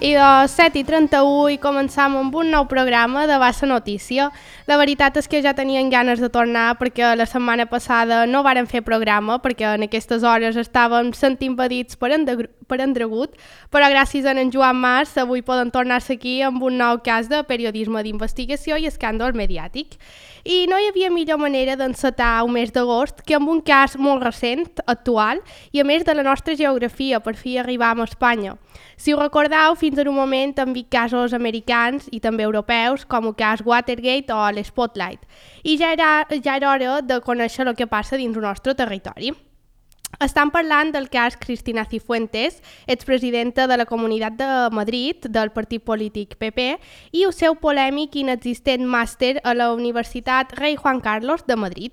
I de 7:31 i començam amb un nou programa de Bassa Notícia. La veritat és que ja tenien ganes de tornar perquè la setmana passada no varen fer programa perquè en aquestes hores estàvem sent impedits per endregut, però gràcies a en Joan Mas avui poden tornar-se aquí amb un nou cas de periodisme d'investigació i escàndol mediàtic. I no hi havia millor manera d'encetar un mes d'agost que amb un cas molt recent, actual, i a més de la nostra geografia, per fi arribam a Espanya. Si ho recordeu, fins en un moment han vist casos americans i també europeus, com el cas Watergate o l'Spotlight. I ja era hora de conèixer el que passa dins el nostre territori. Estan parlant del cas Cristina Cifuentes, expresidenta de la Comunitat de Madrid, del partit polític PP, i el seu polèmic i inexistent màster a la Universitat Rei Juan Carlos de Madrid.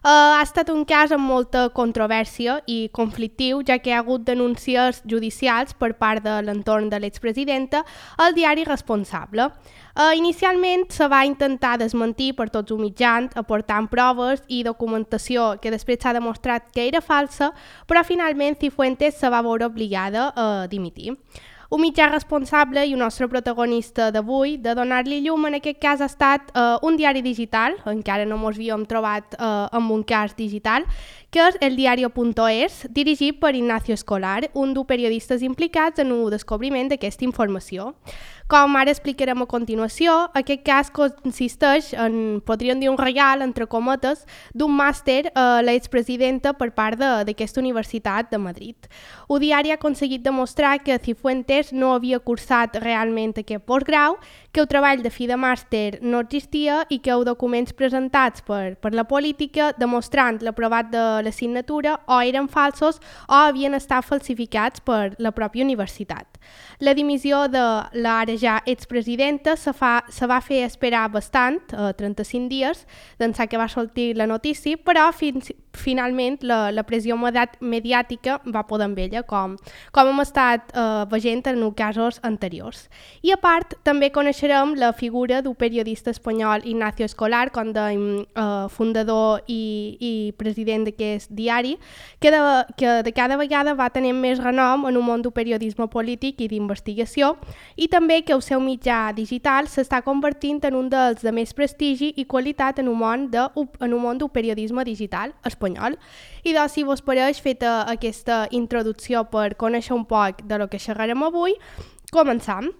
Ha estat un cas amb molta controvèrsia i conflictiu, ja que hi ha hagut denúncies judicials per part de l'entorn de l'expresidenta al diari Responsable. Inicialment se va intentar desmentir per tots els mitjans, aportant proves i documentació que després s'ha demostrat que era falsa, però finalment Cifuentes se va veure obligada a dimitir. Un mitjà responsable i un nostre protagonista d'avui de donar-li llum en aquest cas ha estat un diari digital, encara no ens havíem trobat amb un cas digital, que és eldiario.es, dirigit per Ignacio Escolar, un dels periodistes implicats en el descobriment d'aquesta informació. Com ara explicarem a continuació, aquest cas consisteix en, podríem dir, un regal, entre cometes, d'un màster a l'expresidenta per part d'aquesta Universitat de Madrid. El diari ha aconseguit demostrar que Cifuentes no havia cursat realment aquest postgrau, que el treball de fi de màster no existia i que els documents presentats per la política demostrant l'aprovat de l'assignatura o eren falsos o havien estat falsificats per la pròpia universitat. La dimissió de l'ara ja expresidenta se va fer esperar bastant, 35 dies, d'ençà que va sortir la notícia, però finalment la pressió mediàtica va poder amb ella, com hem estat veient en els casos anteriors. I a part, també coneixerem la figura d'un periodista espanyol, Ignacio Escolar, com dèiem, fundador i president d'aquest diari, que de cada vegada va tenir més renom en un món del periodisme polític i d'investigació, i també que el seu mitjà digital s'està convertint en un dels de més prestigi i qualitat en un món del periodisme digital espanyol. I doncs, si vos pareix, feta aquesta introducció per conèixer un poc de lo que xerrarem avui, començam.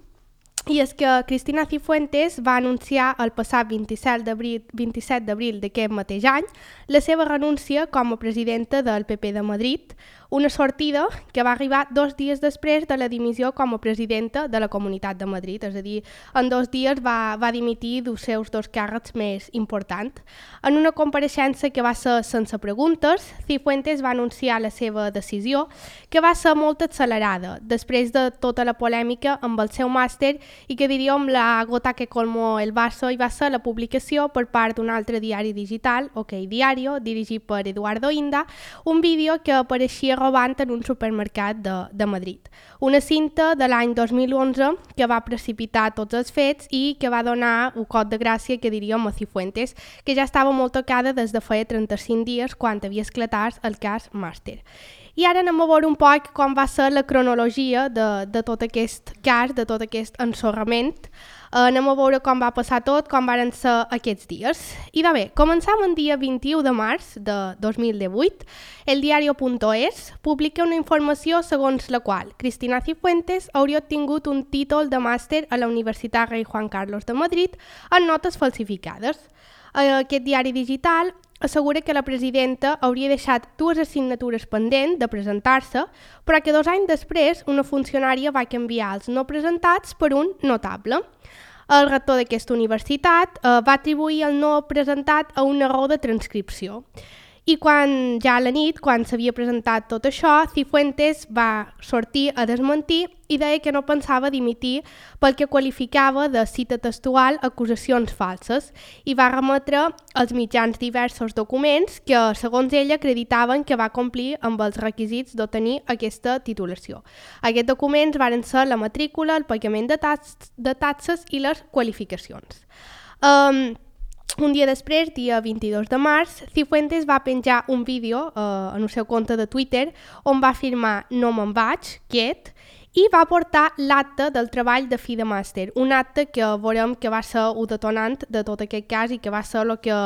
I és que Cristina Cifuentes va anunciar el passat 27 d'abril d'aquest mateix any la seva renúncia com a presidenta del PP de Madrid, una sortida que va arribar 2 dies després de la dimissió com a presidenta de la Comunitat de Madrid, és a dir, en 2 dies va dimitir dels seus 2 càrrecs més importants. En una compareixença que va ser sense preguntes, Cifuentes va anunciar la seva decisió, que va ser molt accelerada, després de tota la polèmica amb el seu màster i que diríem la gota que colmó el vaso i va ser la publicació per part d'un altre diari digital, OK Diario, dirigit per Eduardo Inda, un vídeo que apareixia robant en un supermercat de Madrid. Una cinta de l'any 2011 que va precipitar tots els fets i que va donar un cop de gràcia, que diríem, a Cifuentes, que ja estava molt tocada des de feia 35 dies quan havia esclatat el cas Màster. I ara anem a veure un poc com va ser la cronologia de tot aquest cas, de tot aquest ensorrament. Anem a veure com va passar tot, com van ser aquests dies. I de bé, començam el dia 21 de març de 2018. Eldiario.es publica una informació segons la qual Cristina Cifuentes hauria obtingut un títol de màster a la Universitat Rei Juan Carlos de Madrid en notes falsificades. Aquest diari digital assegura que la presidenta hauria deixat 2 assignatures pendents de presentar-se, però que 2 anys després una funcionària va canviar els no presentats per un notable. El rector d'aquesta universitat va atribuir el no presentat a un error de transcripció. I ja a la nit, quan s'havia presentat tot això, Cifuentes va sortir a desmentir i deia que no pensava dimitir pel que qualificava de, cita textual, acusacions falses, i va remetre als mitjans diversos documents que, segons ella, acreditaven que va complir amb els requisits d'obtenir aquesta titulació. Aquests documents varen ser la matrícula, el pagament de taxes i les qualificacions. Un dia després, dia 22 de març, Cifuentes va penjar un vídeo en el seu compte de Twitter on va afirmar «no me'n vaig, quiet», i va portar l'acte del treball de fi de màster, un acte que veurem que va ser un detonant de tot aquest cas i que va ser el que,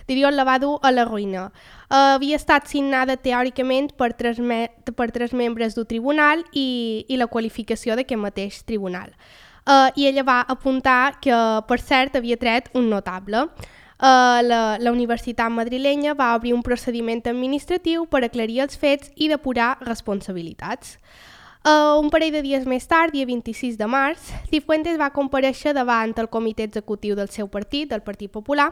diríem, la va dur a la ruïna. Havia estat signada teòricament per tres membres del tribunal i la qualificació d'aquest mateix tribunal. I ella va apuntar que, per cert, havia tret un notable. La Universitat Madrilenya va obrir un procediment administratiu per aclarir els fets i depurar responsabilitats. Un parell de dies més tard, dia 26 de març, Cifuentes va comparèixer davant el comitè executiu del seu partit, del Partit Popular,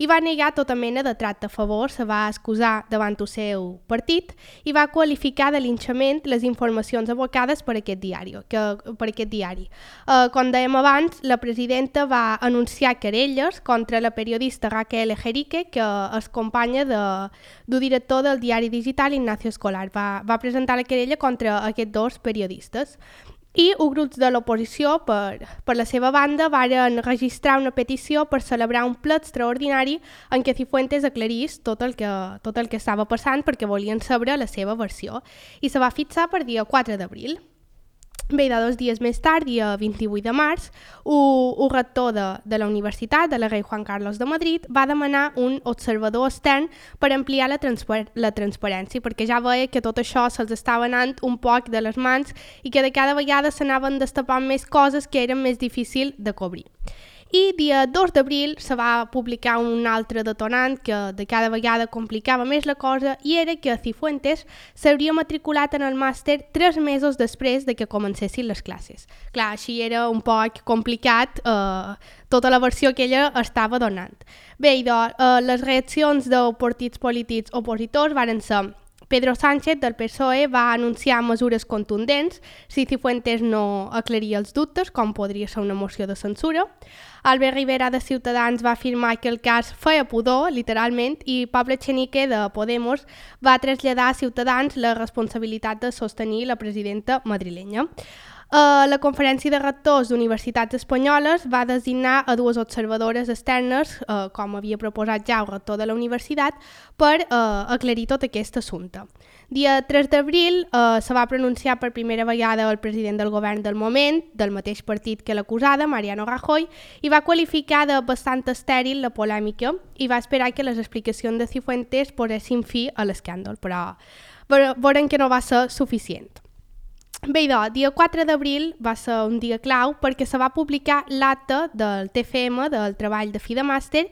i va negar tota mena de tracte a favor, se va excusar davant el seu partit i va qualificar de linxament les informacions abocades per aquest diari. Com dèiem abans, la presidenta va anunciar querelles contra la periodista Raquel Ejerique, que és companya del director del diari digital Ignacio Escolar. Va presentar la querella contra aquests dos periodistes. I els grups de l'oposició, per la seva banda, varen registrar una petició per celebrar un ple extraordinari en què Cifuentes aclarís tot el que estava passant perquè volien saber la seva versió. I se va fixar per dia 4 d'abril. Bé, 2 dies més tard, dia 28 de març, el rector de la universitat, de la Rei Juan Carlos de Madrid, va demanar un observador extern per ampliar la transparència, perquè ja veia que tot això se'ls estava anant un poc de les mans i que de cada vegada s'anaven destapant més coses que eren més difícils de cobrir. I dia 2 d'abril se va publicar un altre detonant que de cada vegada complicava més la cosa i era que Cifuentes s'hauria matriculat en el màster 3 mesos després de que comencessin les classes. Clar, així era un poc complicat tota la versió que ella estava donant. Bé, les reaccions dels partits polítics opositors varen ser: Pedro Sánchez, del PSOE, va anunciar mesures contundents si Cifuentes no aclaria els dubtes, com podria ser una moció de censura. Albert Rivera, de Ciutadans, va afirmar que el cas feia pudor, literalment, i Pablo Echenique, de Podemos, va traslladar a Ciutadans la responsabilitat de sostenir la presidenta madrilenya. La Conferència de Rectors d'Universitats Espanyoles va designar a 2 observadores externes, com havia proposat ja el rector de la universitat, per aclarir tot aquest assumpte. Dia 3 d'abril se va pronunciar per primera vegada el president del govern del moment, del mateix partit que l'acusada, Mariano Rajoy, i va qualificar de bastant estèril la polèmica i va esperar que les explicacions de Cifuentes posessin fi a l'escàndol, però veurem que no va ser suficient. Bé, dia 4 d'abril va ser un dia clau perquè se va publicar l'acte del TFM, del treball de fi de màster,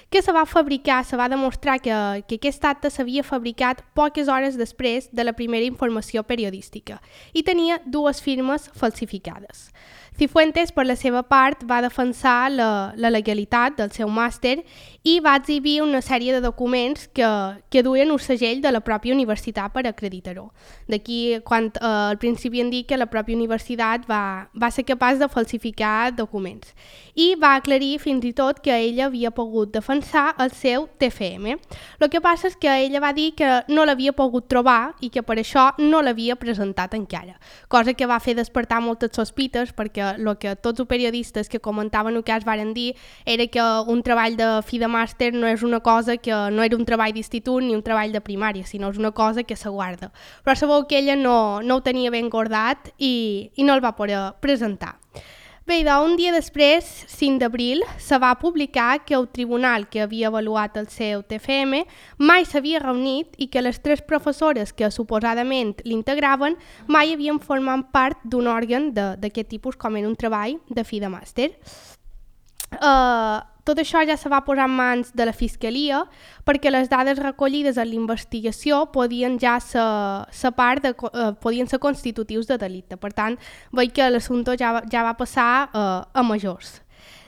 que se va fabricar, se va demostrar que aquest acte s'havia fabricat poques hores després de la primera informació periodística i tenia 2 firmes falsificades. Cifuentes, per la seva part, va defensar la legalitat del seu màster i va exhibir una sèrie de documents que duien un segell de la pròpia universitat per acreditar-ho. D'aquí, quan al principi hem dit que la pròpia universitat va ser capaç de falsificar documents. I va aclarir fins i tot que ella havia pogut defensar el seu TFM. El que passa és que ella va dir que no l'havia pogut trobar i que per això no l'havia presentat encara, cosa que va fer despertar moltes sospites perquè el que tots els periodistes que comentaven el cas varen dir era que un treball de fi de màster no és una cosa que no era un treball d'institut ni un treball de primària, sinó és una cosa que se guarda. Però sabeu que ella no ho tenia ben guardat i no el va poder presentar. Bé, un dia després, 5 d'abril, se va publicar que el tribunal que havia avaluat el seu TFM mai s'havia reunit i que les 3 professores que suposadament l'integraven mai havien format part d'un òrgan d'aquest tipus com era un treball de fi de màster. Tot això ja se va posar en mans de la Fiscalia perquè les dades recollides en l'investigació podien ser constitutius de delicte. Per tant, veig que l'assumpte ja va passar a majors.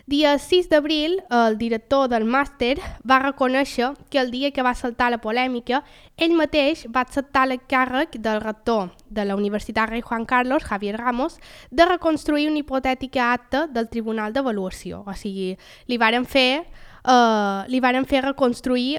Dia 6 d'abril, el director del màster va reconèixer que el dia que va saltar la polèmica, ell mateix va acceptar l'encàrrec del rector de la Universitat Rei Juan Carlos, Javier Ramos, de reconstruir una hipotètica acta del Tribunal d'Avaluació. O sigui, li varen fer reconstruir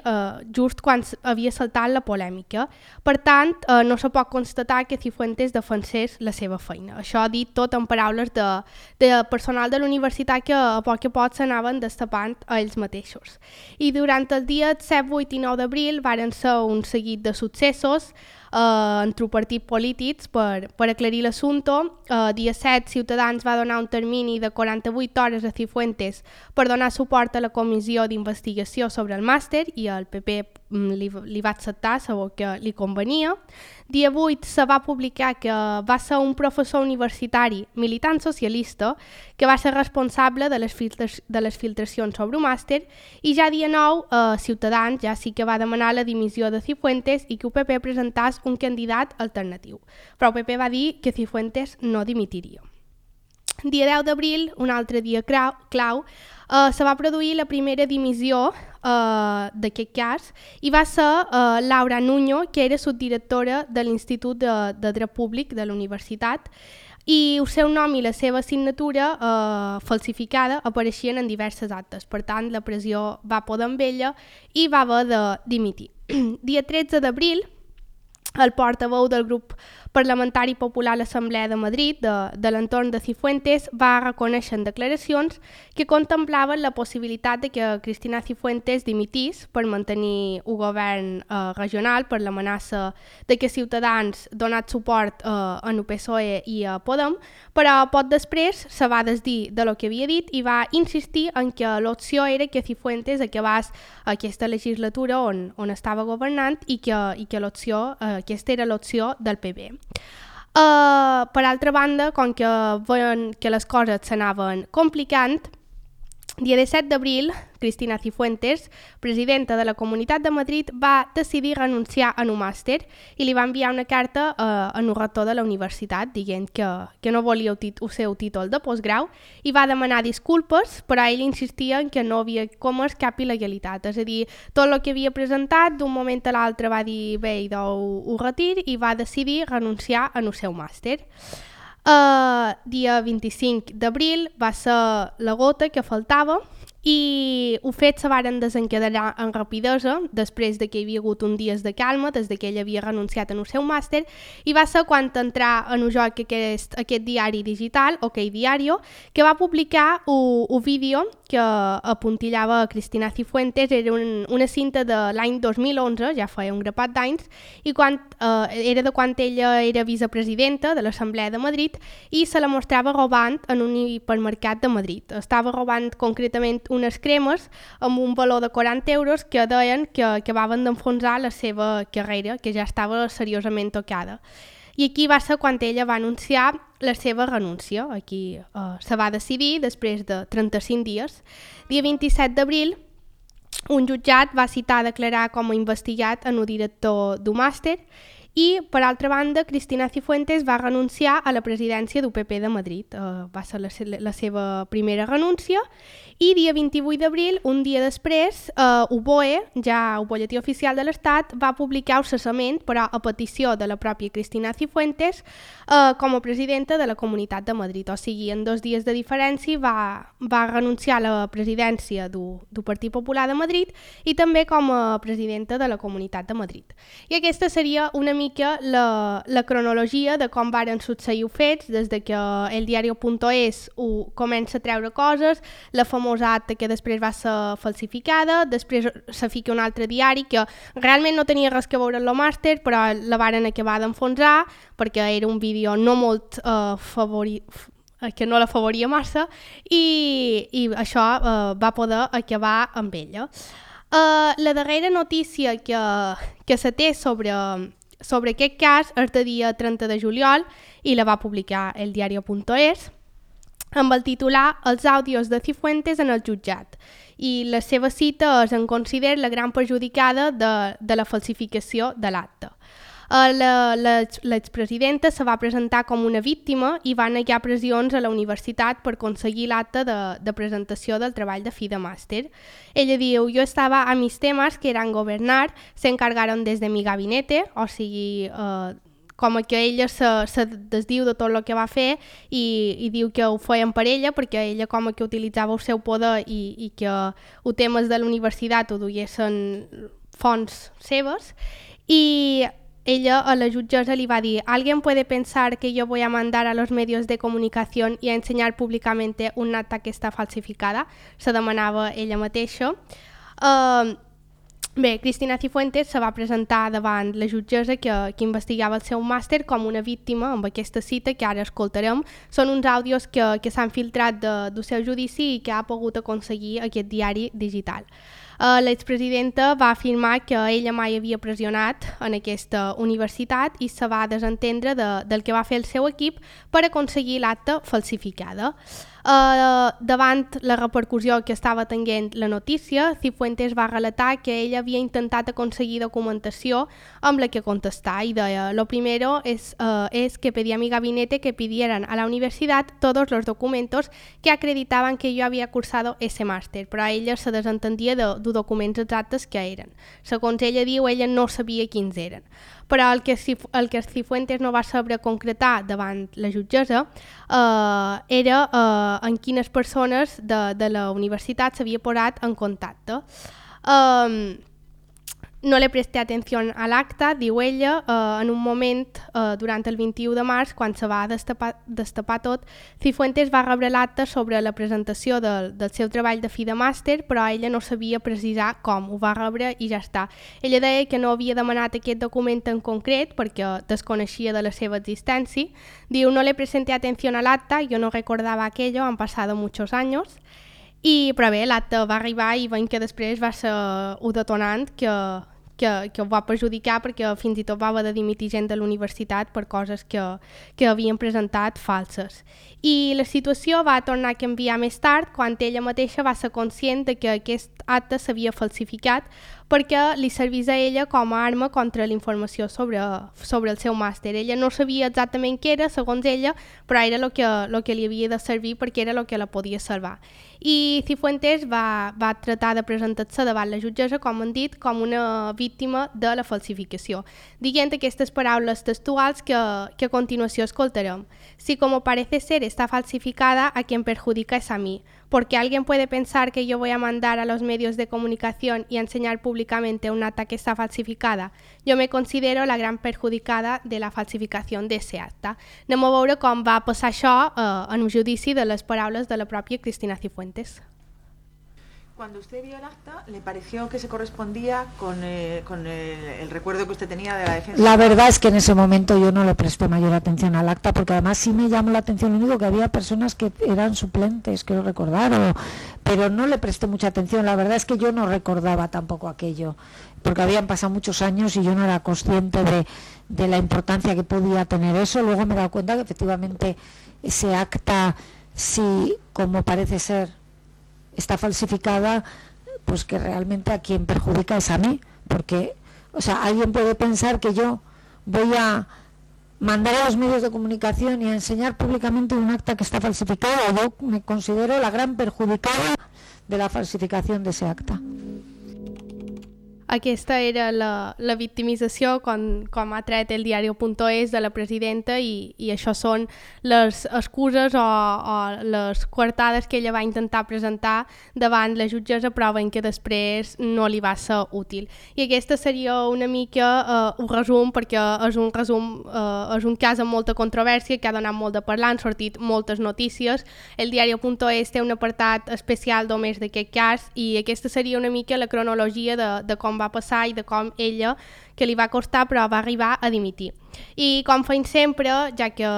just quan havia saltat la polèmica. Per tant, no se pot constatar que Cifuentes defensés la seva feina. Això dit tot en paraules de personal de la universitat que a poc a poc s'anaven destapant a ells mateixos. I durant el dia 7, 8 i 9 d'abril varen ser un seguit de successos. entre partits polítics per aclarir l'assumpte. Dia 7, Ciutadans va donar un termini de 48 hores a Cifuentes per donar suport a la comissió d'investigació sobre el màster i el PP li va acceptar, sabó que li convenia. Dia 8 se va publicar que va ser un professor universitari militant socialista que va ser responsable de les filtracions sobre un màster, i ja dia 9 Ciutadans ja sí que va demanar la dimissió de Cifuentes i que UPP presentàs un candidat alternatiu. Però UPP va dir que Cifuentes no dimitiria. Dia 10 d'abril, un altre dia clau, se va produir la primera dimissió d'aquest cas i va ser Laura Nuño, que era subdirectora de l'Institut de Dret Públic de la Universitat, i el seu nom i la seva signatura falsificada apareixien en diverses actes. Per tant, la pressió va poder amb ella i va haver de dimitir. Dia 13 d'abril, el portaveu del grup parlamentari popular a l'Assemblea de Madrid, de l'entorn de Cifuentes, va reconèixer en declaracions que contemplaven la possibilitat de que Cristina Cifuentes dimitís per mantenir un govern regional per l'amenaça de que Ciutadans donat suport en el PSOE i a Podem, però poc després se va desdir de lo que havia dit i va insistir en que l'opció era que Cifuentes acabés aquesta legislatura on estava governant i que l'opció, aquesta era l'opció del PP. Per altra banda, com que veien que les coses s'anaven complicant, dia 17 d'abril, Cristina Cifuentes, presidenta de la Comunitat de Madrid, va decidir renunciar a un màster i li va enviar una carta al rector de la universitat dient que no volia el seu títol de postgrau i va demanar disculpes, però ell insistia en que no havia comès cap il·legalitat. És a dir, tot el que havia presentat, d'un moment a l'altre va dir bé, idò ho retir, i va decidir renunciar al seu màster. Dia 25 d'abril va ser la gota que faltava i els fets se varen desencadenar en rapidesa després de que hi havia hagut un dies de calma des que ell havia renunciat en el seu màster, i va ser quan entrà en el joc aquest diari digital, OK Diario, que va publicar un vídeo que apuntillava a Cristina Cifuentes. Era una cinta de l'any 2011, ja feia un grapat d'anys, i era de quan ella era vicepresidenta de l'Assemblea de Madrid i se la mostrava robant en un hipermercat de Madrid. Estava robant concretament unes cremes amb un valor de 40 euros que deien que acabaven d'enfonsar la seva carrera, que ja estava seriosament tocada. I aquí va ser quan ella va anunciar la seva renúncia. Aquí se va decidir després de 35 dies. Dia 27 d'abril, un jutjat va citar a declarar com a investigat en el director d'un màster i, per altra banda, Cristina Cifuentes va renunciar a la presidència del PP de Madrid. Va ser la seva primera renúncia. I dia 28 d'abril, un dia després, el BOE, ja el Boletí Oficial de l'Estat, va publicar el cessament, però a petició de la pròpia Cristina Cifuentes, com a presidenta de la Comunitat de Madrid. O sigui, en 2 dies de diferència va renunciar a la presidència del Partit Popular de Madrid i també com a presidenta de la Comunitat de Madrid. I aquesta seria una mica la cronologia de com varen succeir els fets, des de que el diario.es comença a treure coses, la famosa acta que després va ser falsificada, després se fica un altre diari que realment no tenia res que veure amb el màster, però la varen acabar d'enfonsar perquè era un vídeo no molt que no la favoria massa, i això va poder acabar amb ella. La darrera notícia que se té sobre aquest cas és de dia 30 de juliol i la va publicar el diario.es amb el titular Els àudios de Cifuentes en el jutjat, i la seva cita es en considera la gran perjudicada de la falsificació de l'acte. L'expresidenta se va presentar com una víctima i va negar pressions a la universitat per aconseguir l'acte de presentació del treball de fi de màster. Ella diu: yo estaba a mis temas que eran gobernar, se encargaron desde mi gabinete, o sigui, com que ella se desdiu de tot el que va fer i diu que ho feien per ella perquè ella com que utilitzava el seu poder i que els temes de la universitat ho duguessin fonts seves, i ella a la jutgessa li va dir: ¿Alguien puede pensar que yo voy a mandar a los medios de comunicación y a enseñar públicamente una acta que està falsificada? Se demanava ella mateixa. Bé, Cristina Cifuentes se va presentar davant la jutgessa que investigava el seu màster com una víctima amb aquesta cita que ara escoltarem. Són uns àudios que s'han filtrat del seu judici i que ha pogut aconseguir aquest diari digital. L'expresidenta va afirmar que ella mai havia pressionat en aquesta universitat i se va desentendre del que va fer el seu equip per aconseguir l'acta falsificada. Davant la repercussió que estava tenint la notícia, Cifuentes va relatar que ella havia intentat aconseguir documentació amb la que contestar y deia: lo primero es que pedí a mi gabinete que pidieran a la universidad todos los documentos que acreditaban que yo había cursado ese máster, però ella se desentendia de documents exactes que eren. Segons ella diu, ella no sabia quins eren. Però el que Cifuentes no va saber concretar davant la jutgessa era en quines persones de la universitat s'havia posat en contacte. No le presté atención al acta, diu ella, en un moment, durant el 21 de març, quan se va destapar tot, Cifuentes va rebre l'acta sobre la presentació del seu treball de fi de màster, però ella no sabia precisar com, ho va rebre i ja està. Ella deia que no havia demanat aquest document en concret perquè desconeixia de la seva existència. Diu: no le presenté atención al acta, yo no recordaba aquello, han pasado muchos años. Però bé, l'acte va arribar i veiem que després va ser un detonant que ho va perjudicar perquè fins i tot va haver de dimitir gent de la universitat per coses que havien presentat falses. I la situació va tornar a canviar més tard quan ella mateixa va ser conscient de que aquest acte s'havia falsificat perquè li servís a ella com a arma contra la informació sobre el seu màster. Ella no sabia exactament què era, segons ella, però era el que li havia de servir perquè era el que la podia salvar. I Cifuentes va tratar de presentar-se davant la jutgessa, com han dit, com una víctima de la falsificació, dient aquestes paraules textuals que a continuació escoltarem. Si como parece ser está falsificada, a quien perjudica es a mí, porque alguien puede pensar que yo voy a mandar a los medios de comunicación y a enseñar públicamente un acta que está falsificada. Yo me considero la gran perjudicada de la falsificación de ese acta. Anem a veure com va passar això en un judici de les paraules de la pròpia Cristina Cifuentes. Cuando usted vio el acta, ¿le pareció que se correspondía con el recuerdo que usted tenía de la defensa? La verdad es que en ese momento yo no le presté mayor atención al acta, porque además sí me llamó la atención, lo único que había personas que eran suplentes, quiero recordar, pero no le presté mucha atención. La verdad es que yo no recordaba tampoco aquello, porque habían pasado muchos años y yo no era consciente de la importancia que podía tener eso. Luego me he dado cuenta que efectivamente ese acta, sí, como parece ser, está falsificada, pues que realmente a quien perjudica es a mí, porque, o sea, alguien puede pensar que yo voy a mandar a los medios de comunicación y a enseñar públicamente un acta que está falsificado. Yo me considero la gran perjudicada de la falsificación de ese acta. Aquesta era la victimització com ha tret el diari.es de la presidenta i això són les excuses o les coartades que ella va intentar presentar davant la jutgessa, però veiem que després no li va ser útil. I aquesta seria una mica un resum, perquè és un cas amb molta controvèrsia que ha donat molt de parlar, han sortit moltes notícies. El diari.es té un apartat especial només d'aquest cas i aquesta seria una mica la cronologia de com va passar i de com ella, que li va costar però va arribar a dimitir. I com fem sempre, ja que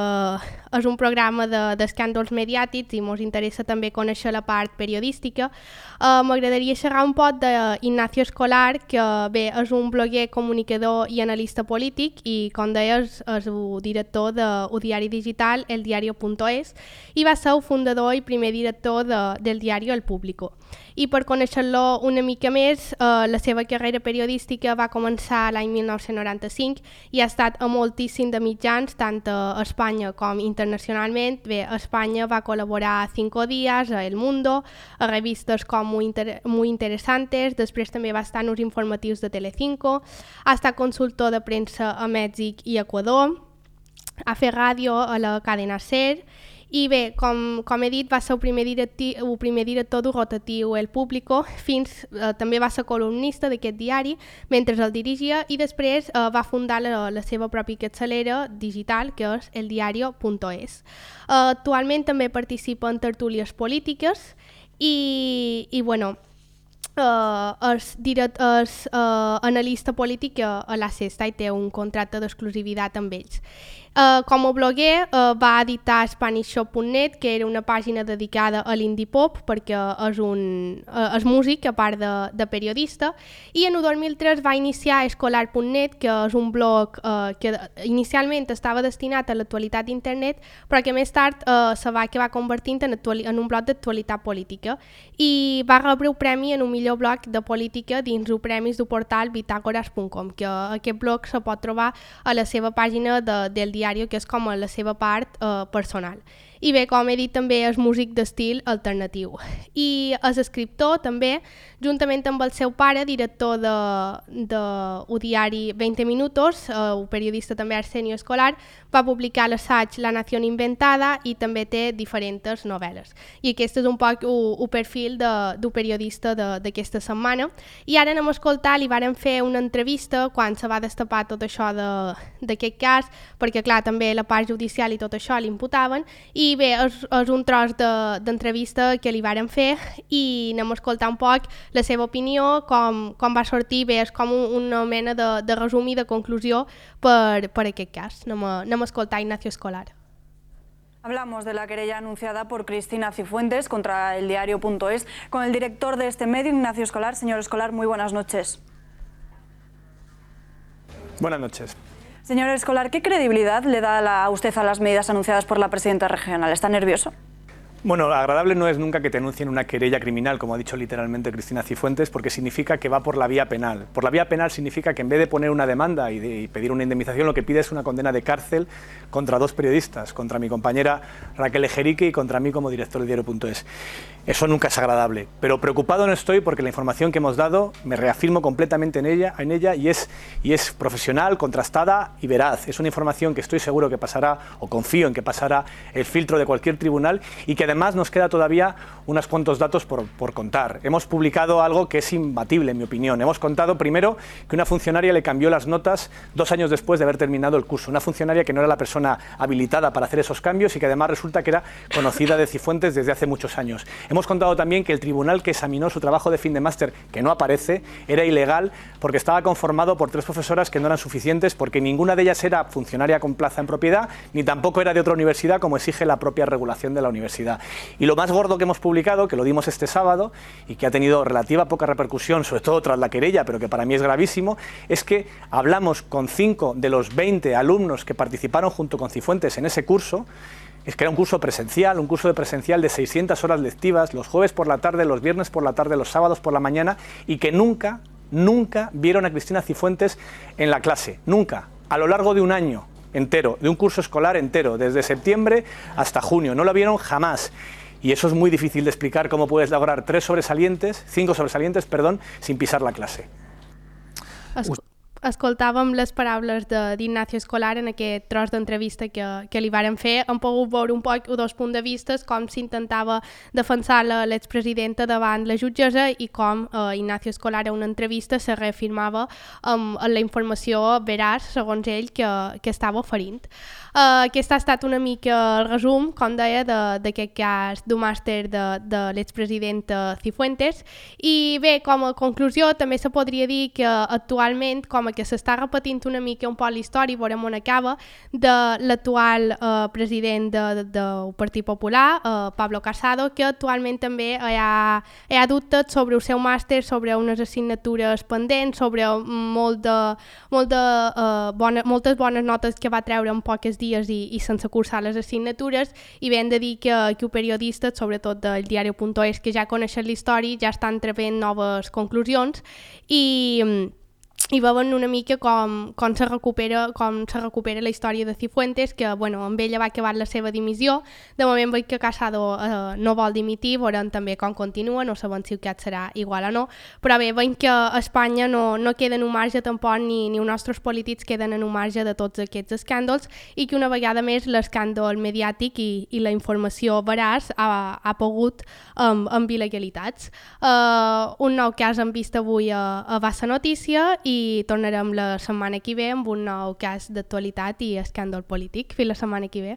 és un programa d'escàndols mediàtics i ens interessa també conèixer la part periodística, m'agradaria xerrar un poc d'Ignacio Escolar, que bé, és un bloguer, comunicador i analista polític i, com deies, és el director del diari digital El Diario.es i va ser el fundador i primer director del diari El Público. I per conèixer-lo una mica més, la seva carrera periodística va començar l'any 1995 i ha estat a moltíssim de mitjans, tant a Espanya com internacionalment. Bé, a Espanya va col·laborar a Cinco Días, a El Mundo, a revistes com Muy Interesantes, després també va estar en els informatius de Telecinco, ha estat consultor de premsa a Mèxic i Equador, ha fet ràdio a la cadena SER. I bé, com he dit, va ser el primer director del rotatiu El Público, també va ser columnista d'aquest diari mentre el dirigia i després va fundar la seva pròpia capçalera digital, que és El Diario.es. Actualment també participa en tertúlies polítiques i bueno, analista polític a la Sexta i té un contracte d'exclusivitat amb ells. Com a bloguer va editar SpanishShop.net, que era una pàgina dedicada a l'indie pop, perquè és músic a part de periodista, i en el 2003 va iniciar Escolar.net, que és un blog que inicialment estava destinat a l'actualitat d'internet, però que més tard se va acabar convertint en un blog d'actualitat política, i va rebre un premi en un millor blog de política dins els premis del portal Bitácoras.com, que aquest blog se pot trobar a la seva pàgina del diari, que és com a la seva part personal. I bé, com he dit, també és músic d'estil alternatiu. I és escriptor també, juntament amb el seu pare, director del diari 20 Minutos, un periodista també Arsenio Escolar, va publicar l'assaig La Nación Inventada i també té diferents novel·les. I aquest és un poc el perfil del periodista d'aquesta setmana. I ara anem a escoltar, li varen fer una entrevista quan se va destapar tot això d'aquest cas, perquè clar, també la part judicial i tot això l'imputaven, i bé, és un tros d'entrevista que li varen fer i anem a escoltar un poc la seva opinió, com va sortir, bé, és com una mena de resum i de conclusió per aquest cas. Anem a escoltar Ignacio Escolar. Hablamos de la querella anunciada por Cristina Cifuentes contra eldiario.es con el director de este medio, Ignacio Escolar. Señor Escolar, muy buenas noches. Buenas noches. Señor Escolar, ¿qué credibilidad le da usted a las medidas anunciadas por la presidenta regional? ¿Está nervioso? Bueno, agradable no es nunca que te anuncien una querella criminal, como ha dicho literalmente Cristina Cifuentes, porque significa que va por la vía penal. Por la vía penal significa que en vez de poner una demanda y pedir una indemnización, lo que pide es una condena de cárcel contra dos periodistas, contra mi compañera Raquel Ejerique y contra mí como director del diario.es. Eso nunca es agradable, pero preocupado no estoy porque la información que hemos dado, me reafirmo completamente en ella y es profesional, contrastada y veraz. Es una información que estoy seguro que pasará, o confío en que pasará, el filtro de cualquier tribunal y que además nos queda todavía unos cuantos datos por contar. Hemos publicado algo que es imbatible, en mi opinión. Hemos contado primero que una funcionaria le cambió las notas 2 años después de haber terminado el curso. Una funcionaria que no era la persona habilitada para hacer esos cambios y que además resulta que era conocida de Cifuentes desde hace muchos años. Hemos contado también que el tribunal que examinó su trabajo de fin de máster, que no aparece, era ilegal porque estaba conformado por 3 profesoras que no eran suficientes, porque ninguna de ellas era funcionaria con plaza en propiedad, ni tampoco era de otra universidad como exige la propia regulación de la universidad. Y lo más gordo que hemos publicado, que lo dimos este sábado y que ha tenido relativa poca repercusión, sobre todo tras la querella, pero que para mí es gravísimo, es que hablamos con 5 de los 20 alumnos que participaron junto con Cifuentes en ese curso. Es que era un curso presencial, un curso de presencial de 600 horas lectivas, los jueves por la tarde, los viernes por la tarde, los sábados por la mañana, y que nunca vieron a Cristina Cifuentes en la clase, nunca, a lo largo de un año entero, de un curso escolar entero, desde septiembre hasta junio, no la vieron jamás. Y eso es muy difícil de explicar, cómo puedes lograr 5 sobresalientes, sin pisar la clase. Escoltàvem les paraules d'Ignacio Escolar en aquest tros d'entrevista que li varen fer. Hem pogut veure un poc dos punts de vista, com s'intentava defensar l'expresidenta davant la jutgessa i com Ignacio Escolar en una entrevista se reafirmava amb la informació veraç, segons ell, que estava oferint. Aquest ha estat una mica el resum, com deia, d'aquest cas d'un màster de l'expresidenta Cifuentes. I bé, com a conclusió, també se podria dir que actualment, com que s'està repetint una mica un poc la història, veurem on acaba, de l'actual president del Partit Popular, Pablo Casado, que actualment també hi ha dubtes sobre el seu màster, sobre unes assignatures pendents, sobre moltes bones notes que va treure en pocs dies i sense cursar les assignatures, i ben de dir que els periodistes, sobretot del diario.es, que ja coneixen la història, ja estan traient noves conclusions i veuen una mica com se recupera la història de Cifuentes, que amb ella va acabar la seva dimissió. De moment veig que Casado no vol dimitir, veurem també com continua, no sabem si el cas serà igual o no, però bé, veiem que a Espanya no queden un marge tampoc, ni els nostres polítics queden en un marge de tots aquests escàndols, i que una vegada més l'escàndol mediàtic i la informació veraç ha pogut amb il·legalitats. Un nou cas hem vist avui a Bassa Notícia i tornarem la setmana que ve amb un nou cas d'actualitat i escàndol polític. Fins la setmana que ve.